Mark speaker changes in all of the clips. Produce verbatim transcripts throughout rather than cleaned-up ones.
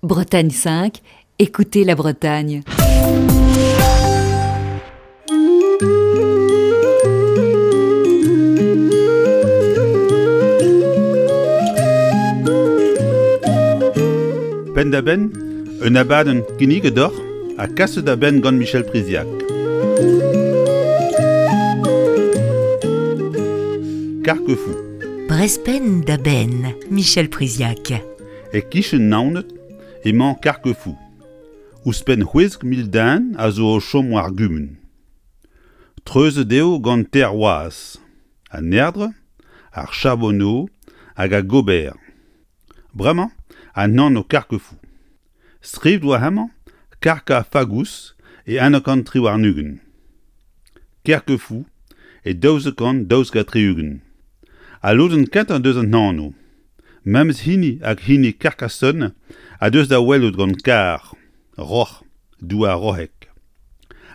Speaker 1: Bretagne cinq, écoutez la Bretagne.
Speaker 2: Penn-da-benn, un abadenn kinniget deoc'h ha kaset da benn gant Michel Priziac. Carquefou.
Speaker 3: Brezh penn da benn, Michel Priziac.
Speaker 2: E-kichen Naoned emañ Carquefou. Ouzhpenn c'hwezek mil den a zo o chom war ar gumun. Treuzet eo gant teir wazh, an Erdre, ar Charbonneau hag ar Gober. Bremañ an anv Carquefou. Skrivet oa hemañ Karka-Fagous e unnek kant tri warn-ugent. Kerquefou e daouzek kant daouzek ha tri-ugent. Al lodenn kentañ deus an anv, memes hini hag hini Carcassonne a deus da welout gant kar, roc'h, douar roc'hek.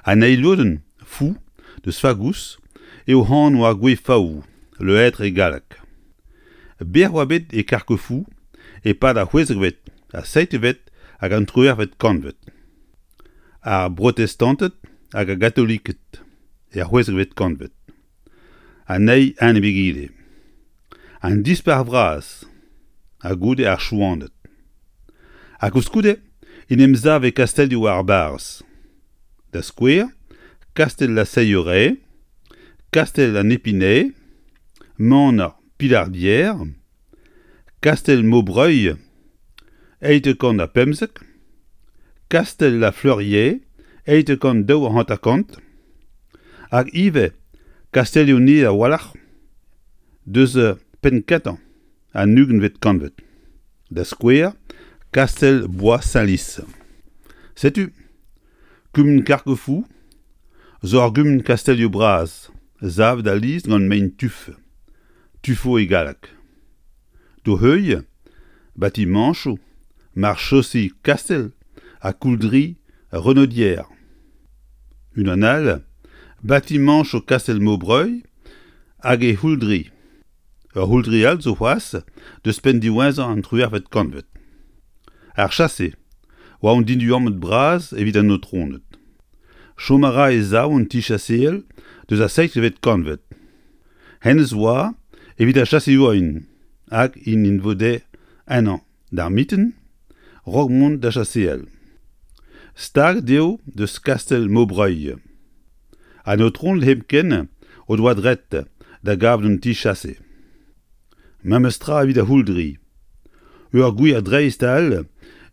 Speaker 2: An eil lodenn, fou, deus Fagous, eo anv ar gwez faou, le hêtre e galleg. Bec'h oa bet e Carquefou e-pad ar c'hwezekvet, ar seizhvet hag an triwec'hvet kantved. Ar brotestanted hag ar gatoliked er c'hwezekvet kantved. An eil enep egile. An Dispac'h vras ha goude ar Chouaned. Ha koulskoude en em save kastellioù ar barrez. Da skouer, kastell La Seigneurie, kastell an Épinay, maner Pilardière, kastell Maubreuil, eizh kant ha pemzek, kastell La Fleurier, eizh kant daou ha hanter-kant, hag ivez kastellioù nevez a-walc'h deus penn-kentañ an ugentvet kantved. Da skouer, kastell Bois-Saint-Lys. Setu, kumun Carquefou zo ur gumun kastellioù bras, savet alies gant mein tuf, tuffeau e galleg. D'o heuilh, batimañchoù, marchosi kastell ha kouldri Renaudière. Unan all, batimañchoù kastell Maubreuil hag e c'houldri. Ur c'houldri all zo c'hoazh deus penn diwezhañ an triwec'hvet kantved. Ar chase oa un diduamant bras evit an aotroned. Chom a ra e-sav un ti-chaseal deus ar seizhvet kantved. Hennezh oa evit ar chaseourien hag int en vode ennañ d'ar mintin 'raok mont da chaseal. Staget eo deus kastell Maubreuil. An aotroned hepken o doa droed da gaout un ti-chase. Memes tra evit ar c'houldri. Ur gwir dreist all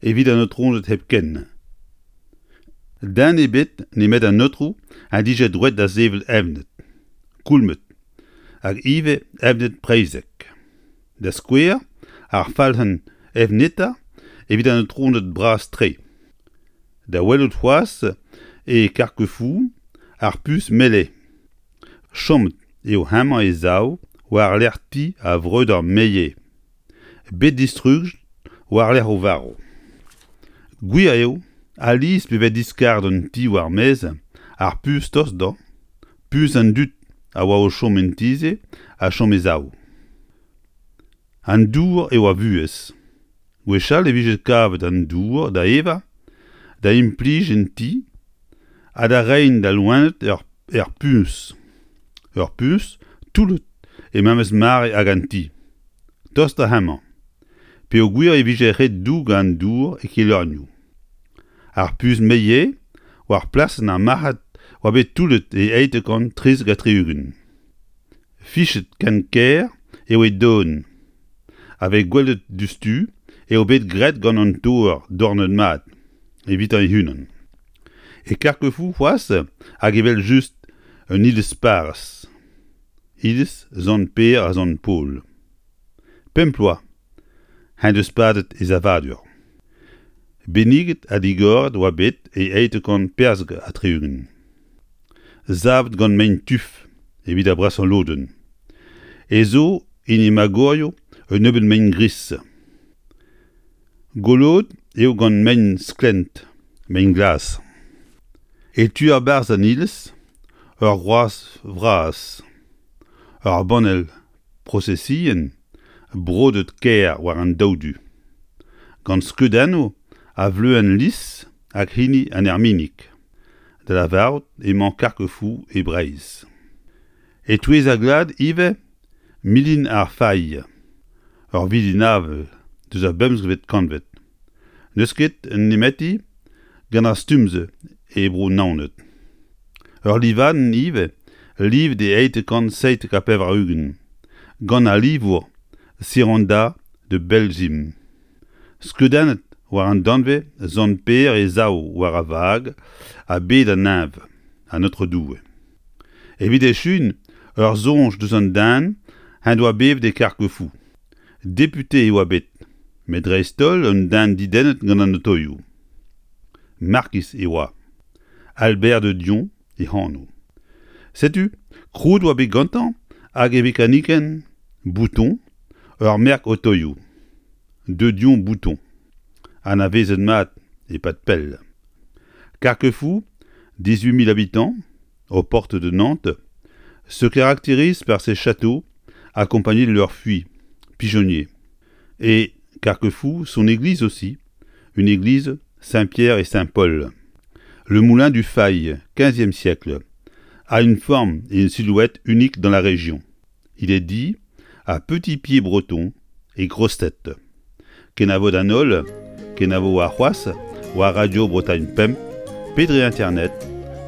Speaker 2: evit an aotroned hepken. Den ebet nemet an aotrou en dije droed da sevel evned, koulmed, hag ivez evned preizhek. Da skouer, ar falc'henn evneta evit an aotroned bras-tre. Da welout c'hoazh e Carquefou ar puñs Mellet. Chomet eo hemañ e-sav war-lerc'h ti ar vreudeur Meillet, bet distrujet war-lerc'h o varv. Gwir eo, alies pe vez diskaret un ti war-maez ar puñs tost dezhañ, puñs an dud a oa o chom en ti-se a chom e-sav. An dour eo ar vuhez. Gwechall e vije kavet an dour da evañ, da implij en ti ha da reiñ d'al loened er, er puñs. Ur puñs toullet e memes mare hag an ti. Tost da hemañ. Peogwir e vije ret dougañ an dour e kelornioù. Ar puñs Meillet war plasenn ar marc'had oa bet toullet e eizh kant trizek ha tri-ugent. Fichet ken kaer eo e don. A vez gwelet diouzhtu eo bet graet gant an toer dornet mat, evitañ e-unan. E Carquefou c'hoazh hag evel-just un iliz parrez. Iliz Sant-Pêr ha Sant-Paol. Pemp bloaz en deus padet e savadur. Benniget ha digoret oa bet e eizh kant perzek ha tri-ugent. Savet gant mein tuf evit ar brasañ lodenn. E zo en he magorioù un nebeud mein gris. Goloet eo gant mein sklent, mein glas. E tu a-barzh an iliz, ur groaz vras. Ur banell prosesion brodet kaer war an daou du. Gant skeudennoù a vleuenn lis hag hini an erminig. Da lavarout emañ Carquefou e Breizh. E-touez ar glad ivez milin ar Failh, ur vilin avel deus ar bemzekvet kantved. N'eus ket nemeti gant ar stumm-se e Bro-Naoned. Ur livadenn ivez livet e eizh kant seitek ha pevar-ugent gant al livour Siranda de Belzim. Skeudennet war an danvez Sant Pêr e sav war ar vag ha bed an neñv, an Aotrou Doue. Evit echuiñ ur soñj deus an den en doa bevet e Carquefou. Depute e oa bet, met dreist-holl un den dedennet gant an otoioù. Markiz e oa. Albert de Dion e anv. Setu, krouet oa bet gantañ hag e vekanikenn Bouton ur merk otoioù. De Dion Bouton. Anavezet mat e-pad pell. Carquefou, dix-huit mille habitants, aux portes de Nantes, se caractérise par ses châteaux accompagnés de leurs fuites, pigeonniers. Et Carquefou, son église aussi, une église Saint-Pierre et Saint-Paul. Le moulin du Fail, quinzième siècle, a une forme et une silhouette uniques dans la région. Il est dit à petits pieds bretons et grosse tête. Kenavo d'an holl, kenavo warc'hoazh, war Radio Bretagne Pemp, pe dre internet,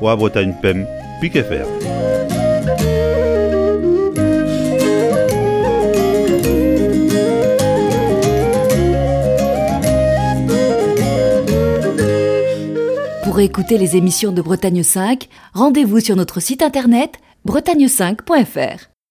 Speaker 2: war Bretagne Pemp, pik F R.
Speaker 1: Pour écouter les émissions de Bretagne cinq, rendez-vous sur notre site internet bretagne cinq point F R.